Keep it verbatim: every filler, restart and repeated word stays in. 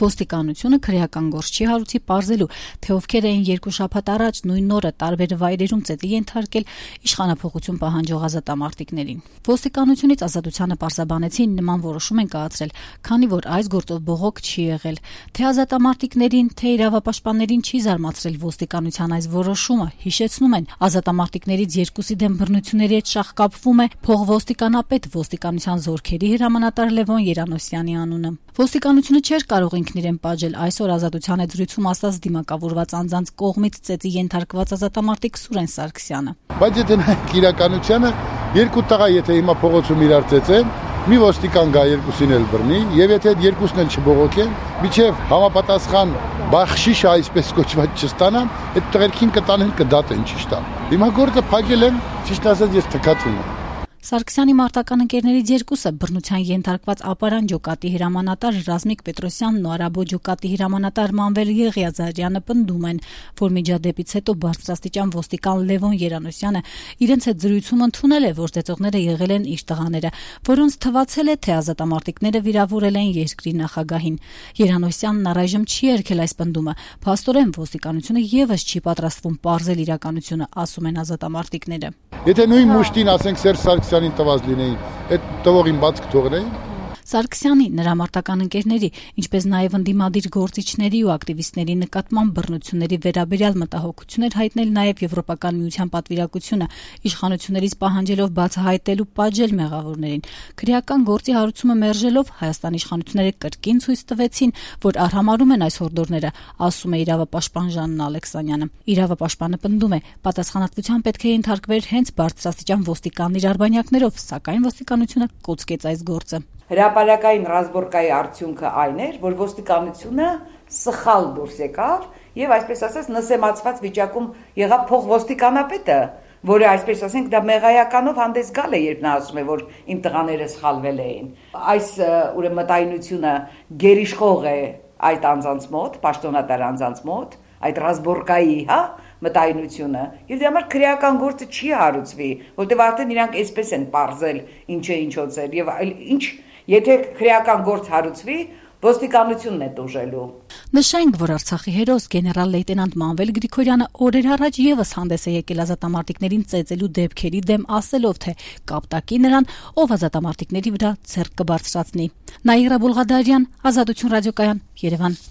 Ոստիկանությունը քրեական գործ չի հարուցի պարզելու, թե ովքեր էին երկու շաբաթ առաջ նույն օրը տարբեր վայրերում ծեծի ենթարկել իշխանափոխություն պահանջող ազատամարտիկներին։ Ոստիկանությունից ազատությանը պարզաբանեցին նման որոշում են կայացրել, քանի որ այս գործով բողոք չի եղել։ Թե ազատամարտիկներին, թե իրավապաշտպաններին չի զարմացրել ոստիկանության այս որոշումը, հիշեցնում են, ազատամարտիկներից երկուսի դեմ բռնությունների հետ շաղկապվում է փոխոստիկանապետ ոստիկանության զորքերի հրամանատար Լևոն Երանոսյանի անունը։ Ոստիկանությունը չէր կարող ինքն իրեն պատժել այսօր ազատության հետ զրույցում ասած դիմակավորված անձանց կողմից ծեծի ենթարկված ազատամարտիկ Սուրեն Սարգսյանը։ Բայց եթե նայենք իրականությանը, երկու տղա եթե հիմա փողոցում իրար ծեծեն, մի ոստիկան գա երկուսին էլ բռնի, եւ եթե այդ երկուսն էլ չբողոքեն, միջև համապատասխան բախշիշ այսպես կոչված չստանան, այդ տղերքին կտանեն կդատեն ճիշտ է։ Հիմա գործը փակել են, ճիշտ ասած ես թքած ունեմ։ Սարգսյանի մարտական ընկերներից երկուսը բռնության ենթարկված Ապարան ջոկատի հրամանատար Ռազմիկ Պետրոսյանն ու Արաբո ջոկատի հրամանատար Մանվել Եղիազարյանը պնդում են, որ միջադեպից հետո բարձրաստիճան ոստիկան Լևոն Երանոսյանը իրենց հետ զրույցում ընդունել է, որ ծեծողները եղել են իր տղաները, որոնց թվացել է, թե ազատամարտիկները վիրավորել են երկրի նախագահին։ Երանոսյանն առայժմ չի երգել այս պնդումը, փաստորեն ոստիկանությունը եւս չի պատրաստվում պարզել իրականությունը, ասում են ազատամարտիկները։ Եթե նույն մուշտին ասենք Սերժ Սարգսյանին տված լինեին, այդ տվողին բաց կթողնեին։ Սարգսյանի, նրա մարտական ընկերների, ինչպես նաև ընդդիմադիր գործիչների ու ակտիվիստների նկատմամբ բռնությունների վերաբերյալ մտահոգություն էր հայտնել նաև Եվրոպական միության պատվիրակությունը, իշխանություններից պահանջելով բացահայտել ու պատժել մեղավորներին։ Քրեական գործի հարուցումը մերժելով Հայաստանի իշխանությունները կրկին ցույց տվեցին, որ արհամարհում են այս հորդորները, ասում է իրավապաշտպան Ժաննա Ալեքսանյանը։ Իրավապաշտպանը պնդում է, պատասխանատվության պետք է ենթարկվեր հենց բարձրաստիճան ոստիկաններ արբանյակներով, սակայն ոստիկանությունը կոծկեց այս գործը։ Հրապարակային ռազմորկայի արդյունքը այն էր, որ ոստիկանությունը սխալ դուրս եկավ եւ այսպես ասած նսեմացված վիճակում եղավ փոխոստիկանապետը, որը այսպես ասենք դա մեղայականով հանդես գալ է, երբ նա ասում է, որ իմ տղաները սխալվել էին։ Այս ուրեմն մտայնությունը գերիշխող է այդ անձանց մոտ, պաշտոնատար անձանց մոտ, այդ ռազմորկայի, հա, մտայնությունը, եւ դրա համար քրեական գործը չի հարուցվի, որտեղ արդեն իրանք այսպես են պարզել ինչ է ինչոց է եւ այլ ինչ. Եթե քրեական գործ հարուցվի, ոստիկանությունն է տուժելու։ Նշենք, որ Արցախի հերոս գեներալ լեյտենանտ Մանվել Գրիգորյանը օրեր առաջ եւս հանդես է եկել ազատամարտիկներին ծեծելու դեպքերի դեմ, ասելով, թե կապտակի նրան, ով ազատամարտիկների վրա ձեռք կբարձրացնի։ Նաիրա Բուլղադարյան, Ազատություն ռադիոկայան, Երևան։